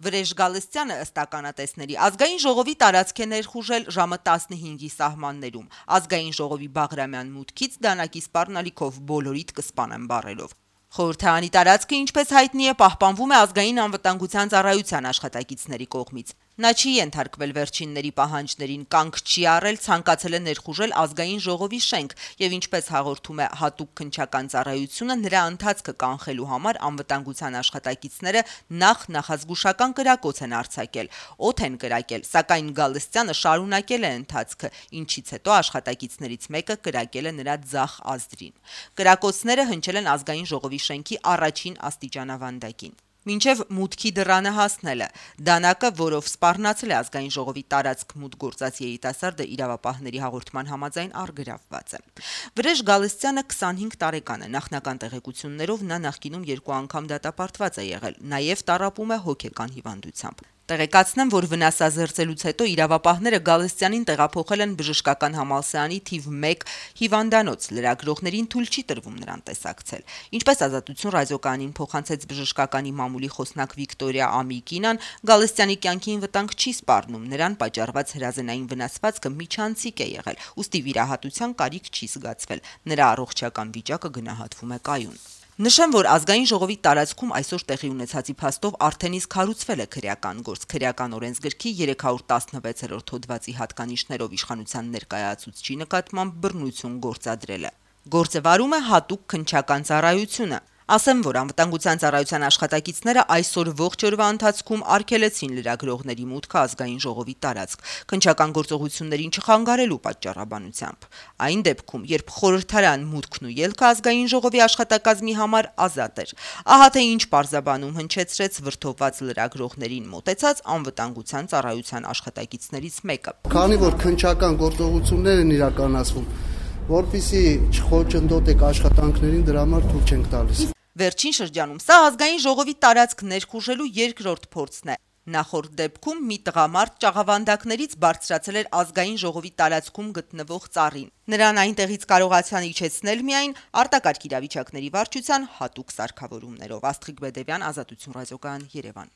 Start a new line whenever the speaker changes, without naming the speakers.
Վրեժ Գալստյանը ըստ ականատեսների ազգային ժողովի տարածք է ներխուժել ժամը 15-ի սահմաններում։ Ազգային ժողովի Բաղրամյան մուտքից դանակի սպառնալիքով բոլորիդ կսպանեմ բառերով։ Խորհրդարանի տարածքը, ինչպես հայտնի է, պահպանվում է ազգային անվտանգության ծառայության աշխատակիցների կողմից։ Նա չի ենթարկվել վերջինների պահանջներին, կանգ չի առել, ցանկացել է ներխուժել ազգային ժողովի շենք եւ ինչպես հաղորդում է հատուկ քննչական ծառայությունը, նրա ընթացքը կանխելու համար անվտանգության աշխատակիցները նախազգուշական կրակոց են արձակել, օդ են կրակել, սակայն Գալստյանը շարունակել է ընթացքը, ինչից հետո աշխատակիցներից մեկը կրակել է նրա ձախ ազդրին։ Կրակոցները հնչել են ազգային ժողովի շենքի առաջին աստիճանավանդակին։ Մինչև մուտքի դռանը հասնելը դանակը, որով սպառնացել է ազգային ժողովի տարածք մուտք գործած երիտասարդը, իրավապահների հաղորդման համաձայն առգրավված է։ Վրեժ Գալստյանը 25 տարեկան է, նախնական տեղեկություններով նա նախկինում 2 անգամ դատապարտված է եղել, նաև տառապում է հոգեկան հիվանդությամբ։ Տեղեկացնեմ, որ վնասազերծելուց հետո իրավապահները Գալստյանին տեղափոխել են բժշկական համալսարանի թիվ 1 հիվանդանոց, լրագրողներին թույլ չի տրվում նրան տեսակցել։ Ինչպես Ազատություն ռադիոկայանին փոխանցեց բժշկականի մամուլի խոսնակ Վիկտորիա Ամիկինան, Գալստյանի կյանքին վտանգ չի սպառնում, նրան պատճառված հրազենային վնասվածքը միջանցիկ է եղել, ուստի վիրահատության կարիք չի զգացվել, նրա առողջական վիճակը գնահատվում է կայուն։ Նշեմ, որ ազգային ժողովի տարածքում այսօր տեղի ունեցածի փաստով արդեն իսկ հարուցվել է քրեական գործ, քրեական օրենսգրքի 316-րդ հոդվածի հատկանիշներով իշխանության ներկայացուցչի նկատմամբ բռնություն գործադրել է։ Գործը վարում է հատուկ քննչական ծառայությունը։ Ասեմ, որ անվտանգության ծառայության աշխատակիցները այսօր ողջ օրվա ընթացքում արգելեցին լրագրողների մուտքը ազգային ժողովի տարածք, քննչական գործողություններին չխանգարելու պատճառաբանությամբ։ Այն դեպքում, երբ խորհրդարան մուտքն ու ելքը ազգային ժողովի աշխատակազմի համար ազատ էր, ահա թե ինչ պարզաբանում հնչեցրեց վրդովված լրագրողներին մոտեցած անվտանգության ծառայության աշխատակիցներից մեկը։
Քանի որ քննչական գործողություններ են իրականացվում, որպեսզի չխոչընդոտեք աշխատանքներին, դրա համար թույլ չենք տալիս։
Վերջին շրջանում սա ազգային ժողովի տարածք ներխուժելու երկրորդ փորձն է։ Նախորդ դեպքում մի տղամարդ ճաղավանդակներից բարձրացել էր ազգային ժողովի տարածքում գտնվող ծառին։ Նրան այնտեղից կարողացան իջեցնել միայն արտակարգ իրավիճակների վարչության հատուկ սարքավորումներով։ Աստղիկ Բեդևյան, Ազատություն ռադիոկայան, Երևան։